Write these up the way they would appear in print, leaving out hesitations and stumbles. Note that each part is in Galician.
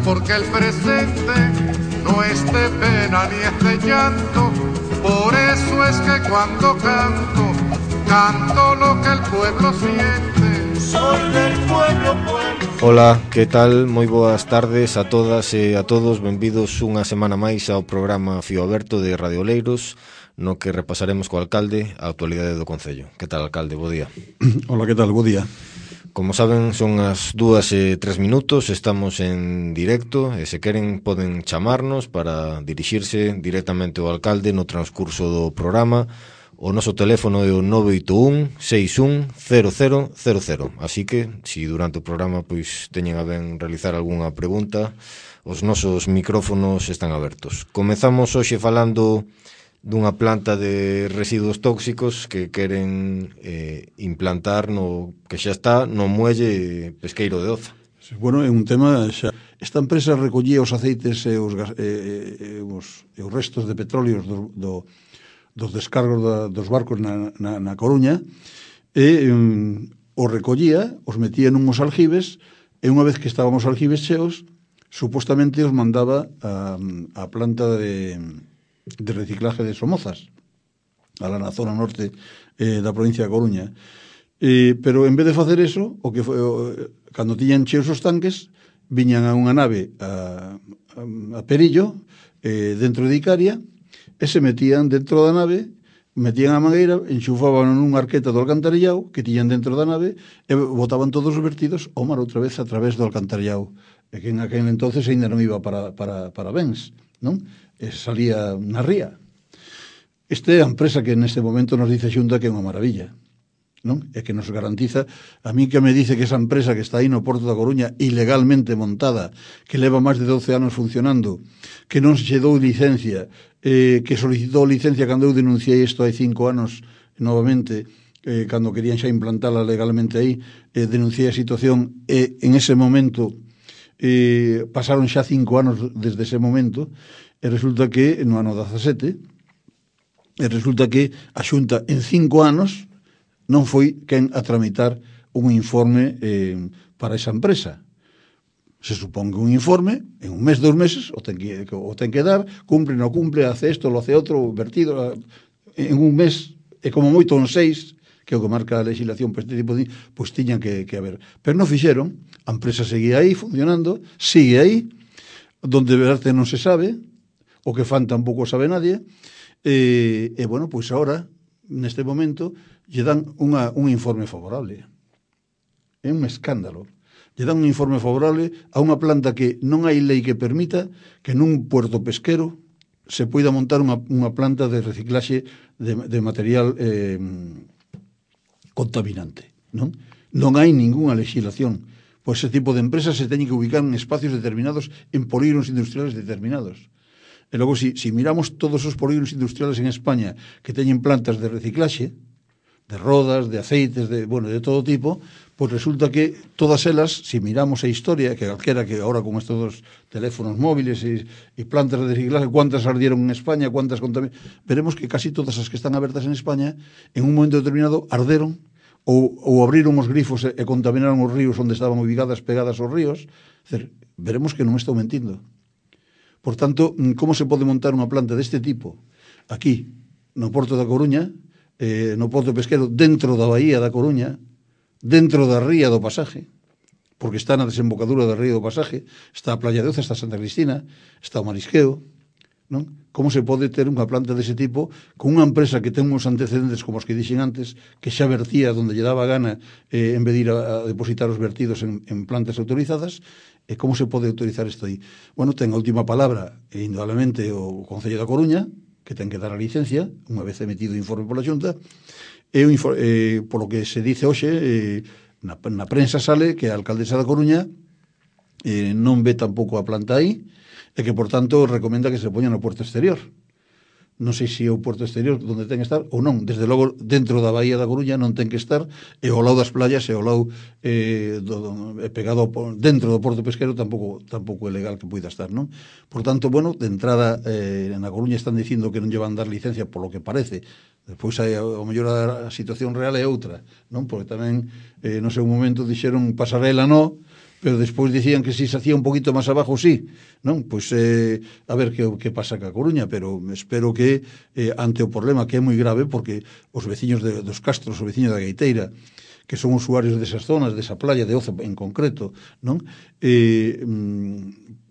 porque el presente no es de pena ni es de llanto. Por eso es que cuando canto, canto lo que el pueblo siente. Soy del pueblo, pueblo. Ola, que tal? Moi boas tardes a todas e a todos. Benvidos unha semana máis ao programa Fío Aberto de Radio Oleiros, no que repasaremos co alcalde a actualidade do Concello. Que tal, alcalde? Bo día. Hola, que tal? Bo día. Como saben, son as 2:03, estamos en directo e se queren poden chamarnos para dirixirse directamente ao alcalde no transcurso do programa. O noso teléfono é o 981 61 0000. Así que, se durante o programa pois teñen a ben realizar algunha pregunta, os nosos micrófonos están abertos. Comezamos hoxe falando dunha planta de residuos tóxicos que queren implantar no que xa está no muelle pesqueiro de Oza. Bueno, é un tema xa. Esta empresa recollía os aceites e os restos de petróleos dos descargos dos barcos na Coruña e os recollía, os metía nunhos aljibes e unha vez que estábamos aljibes cheos, supostamente os mandaba a planta de reciclaje de Somozas, na zona norte da provincia de Coruña. Pero en vez de facer eso, o que foi, cando tiñan cheos os tanques, viñan a unha nave a Perillo, dentro de Icaria, e se metían dentro da nave, metían a mangueira, enxufaban nunha arqueta do alcantarillao que tiñan dentro da nave e botaban todos os vertidos ao mar outra vez a través do alcantarillao, e que en aquel entonces ainda non iba para bens, non? E salía na ría. Esta é a empresa que neste momento nos dice Xunta que é unha maravilla, non? E que nos garantiza, a mí que me dice que esa empresa que está aí no Porto da Coruña ilegalmente montada, que leva máis de 12 anos funcionando, que non se dou licencia, que solicitou licencia cando eu denunciei isto hai 5 anos novamente, cando querían xa implantala legalmente aí, denunciei a situación e en ese momento pasaron xa 5 anos desde ese momento e resulta que no ano 17 a Xunta en 5 anos non foi quen a tramitar un informe para esa empresa. Se supón que un informe, en un mes, 2 meses, o ten que dar, cumple, non cumple, hace isto, lo hace outro, vertido, en un mes, e como moito en 6, que é o que marca a legislación para este tipo de... pois tiñan que haber. Pero non fixeron, a empresa seguía aí, funcionando, sigue aí, donde verte non se sabe, o que fan tampouco sabe nadie, e bueno, pois agora, neste momento, lle dan un informe favorable. É un escándalo. Lle dan un informe favorable a unha planta que non hai lei que permita que nun puerto pesquero se poida montar unha planta de reciclaxe de material contaminante. Non hai ningunha legislación. Pois ese tipo de empresas se teñen que ubicar en espacios determinados, en polígonos industriales determinados. E logo, si miramos todos os polígonos industriales en España que teñen plantas de reciclaxe, de rodas, de aceites, de todo tipo, pois resulta que todas elas, si miramos a historia, que calquera que ahora con estos dos teléfonos móviles e plantas de reciclaje, cuántas ardieron en España, cuántas contaminaron, veremos que casi todas as que están abertas en España, en un momento determinado, arderon ou abriron os grifos e contaminaron os ríos onde estaban ubicadas, pegadas aos ríos. Veremos que non estou mentindo. Por tanto, como se pode montar unha planta deste tipo aquí, no Porto da Coruña, no Porto Pesquero, dentro da Bahía da Coruña, dentro da ría do Pasaje, porque está na desembocadura da ría do Pasaje, está a Playa de Oza, está Santa Cristina, está o Marisqueo, non? Como se pode ter unha planta dese tipo con unha empresa que ten uns antecedentes como os que dixen antes, que xa vertía donde lle daba gana en vez de ir a depositar os vertidos en plantas autorizadas? E como se pode autorizar isto aí? Bueno, ten a última palabra, indudablemente, o Concello da Coruña, que ten que dar a licencia, unha vez emitido o informe pola Xunta, e polo que se dice hoxe, na prensa sale que a alcaldesa da Coruña non ve tampouco a planta aí, e que, por tanto, recomenda que se poña no puerto exterior. Non sei se é o puerto exterior onde ten que estar ou non. Desde logo, dentro da Bahía da Coruña non ten que estar, e ao lado das playas e ao lado pegado dentro do porto pesquero tampouco é legal que poida estar, non? Por tanto, bueno, de entrada na Coruña están dicindo que non lle van dar licencia polo que parece. Despois, ao mellor, a situación real é outra, non? Porque tamén, no seu momento, dixeron pasarela no, pero despois dicían que si se hacía un poquito máis abajo, sí, non? Pois a ver que pasa ca Coruña, pero espero que ante o problema que é moi grave, porque os veciños dos Castros, os veciños da Gaiteira, que son usuarios desas zonas, desa playa de Oza en concreto, non?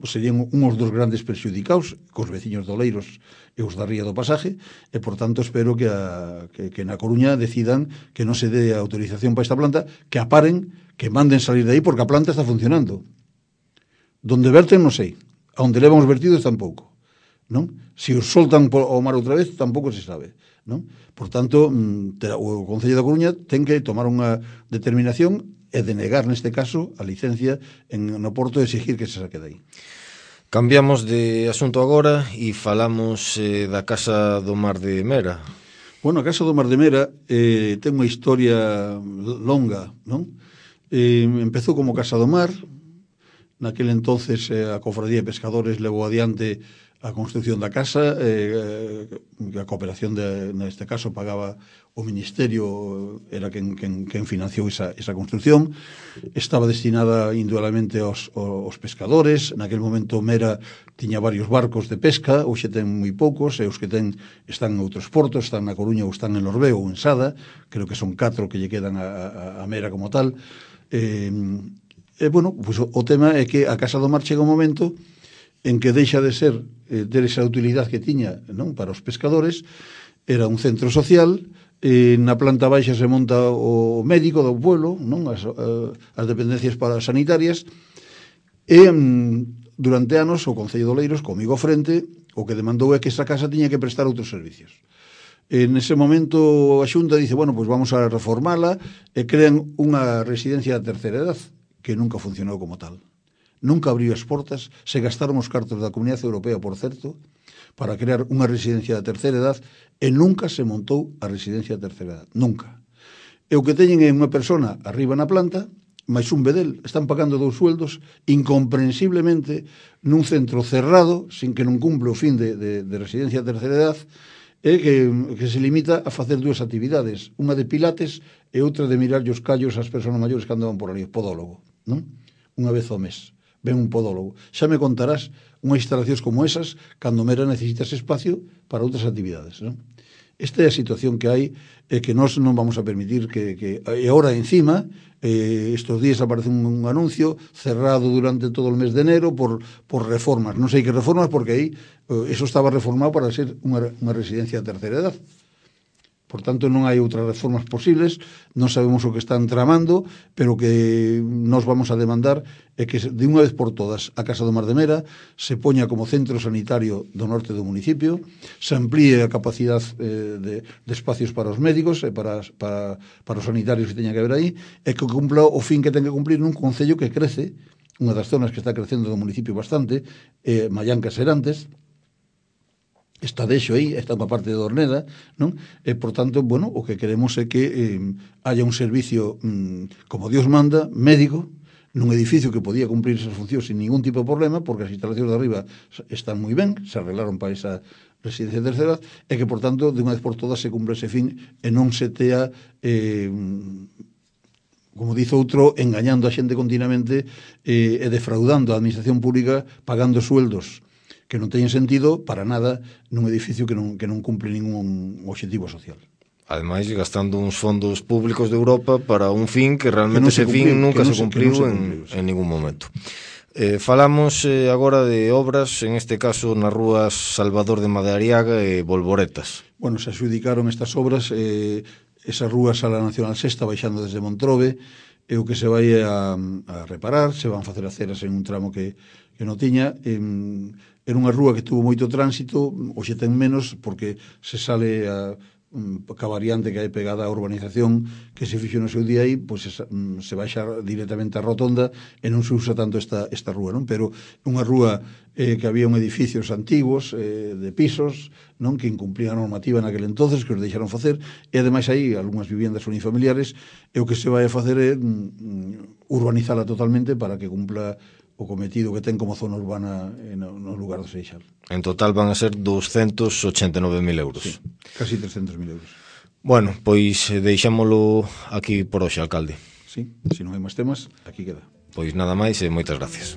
Serían unhos dos grandes perxudicados, cos veciños do Oleiros e os da Ría do Pasaje, e, por tanto, espero que na Coruña decidan que non se dé autorización para esta planta, que a paren, que manden salir de aí, porque a planta está funcionando. Donde verten, non sei. A onde levan os vertidos, tampouco. Non? Se os soltan ao mar outra vez, tampouco se sabe. Non? Por tanto, o Concello da Coruña ten que tomar unha determinación e denegar, neste caso, a licencia no porto e exigir que se saque de aí. Cambiamos de asunto agora e falamos da Casa do Mar de Mera. Bueno, a Casa do Mar de Mera ten unha historia longa, non? Empezou como Casa do Mar. Naquele entonces a Cofradía de Pescadores levou adiante a construcción da casa, a cooperación neste caso pagaba o Ministerio, era quen financiou esa construcción. Estaba destinada indudablemente aos pescadores. Naquele momento Mera tiña varios barcos de pesca, hoxe ten moi poucos, e os que ten están en outros portos, están na Coruña ou están en Lorbeo ou en Sada, creo que son 4 que lle quedan a Mera como tal. Bueno, pues o tema é que a Casa do Mar chega un momento en que deixa de ser ter esa utilidade que tiña, non, para os pescadores. Era un centro social, na planta baixa se monta o médico do pueblo, non, as dependencias sanitarias, e durante anos o Concello de Oleiros, comigo ao frente, o que demandou é que esa casa tiña que prestar outros servicios. En ese momento a Xunta dice, bueno, pues vamos a reformala, e crean unha residencia de terceira edad, que nunca funcionou como tal. Nunca abriu as portas, se gastaron os cartos da Comunidade Europea, por certo, para crear unha residencia de terceira edad, e nunca se montou a residencia de terceira edad. Nunca. E o que teñen é unha persona arriba na planta, máis un bedel, están pagando 2 sueldos, incomprensiblemente, nun centro cerrado, sin que non cumple o fin de residencia de terceira edad, e que se limita a facer 2 actividades, unha de pilates e outra de mirar os callos ás persoas maiores que andaban por ali, podólogo, non? Unha vez ao mes ven un podólogo. Xa me contarás unhas instalacións como esas cando Mera necesitas espacio para outras actividades, non? Esta é a situación que hai, e que nós non vamos a permitir que e agora encima, estes días aparece un anuncio cerrado durante todo o mes de enero por reformas. Non sei que reformas, porque aí eso estaba reformado para ser unha residencia de terceira edad. Por tanto, non hai outras reformas posibles, non sabemos o que están tramando, pero que nos vamos a demandar é que de unha vez por todas a Casa do Mar de Mera se poña como centro sanitario do norte do municipio, se amplíe a capacidade de espacios para os médicos e para os sanitarios que teña que haber aí, e que cumpla o fin que ten que cumplir nun concello que crece, unha das zonas que está crecendo do municipio bastante, Mallanca Serantes, está deixo aí, está unha parte de Dorneda, non? E, por tanto, bueno, o que queremos é que haya un servicio, como Dios manda, médico, nun edificio que podía cumplir esas funcións sin ningún tipo de problema, porque as instalacións de arriba están moi ben, se arreglaron para esa residencia de terceira edad, e que, por tanto, de unha vez por todas se cumpre ese fin e non se tea como dice outro, engañando a xente continuamente e defraudando a administración pública, pagando sueldos que non teñen sentido para nada nun edificio que non cumple ningún objetivo social. Ademais, gastando uns fondos públicos de Europa para un fin que realmente ese fin nunca se cumpliu en ningún momento. Falamos agora de obras, en este caso nas rúas Salvador de Madariaga e Bolboretas. Bueno, se adjudicaron estas obras, esa rúa Sala Nacional Sexta, baixando desde Montrobe, é o que se vai a reparar, se van facer aceras en un tramo que non tiña. Era unha rúa que tuvo moito tránsito, hoxe ten menos, porque se sale ca variante que hai pegada á urbanización que se fixo no seu día aí, pois se baixa directamente a rotonda e non se usa tanto esta rúa, non? Pero unha rúa que había un edificios antigos de pisos, non, que incumplían a normativa naquele entonces, que os deixaron facer, e ademais aí algunhas viviendas unifamiliares, e o que se vai a facer é urbanizala totalmente para que cumpla o cometido que ten como zona urbana no lugar do Seixal. En total van a ser 289.000 euros. Sí, casi 300.000 euros. Bueno, pois deixámolo aquí por hoxe, alcalde. Sí, se non hai máis temas, aquí queda. Pois nada máis e moitas gracias.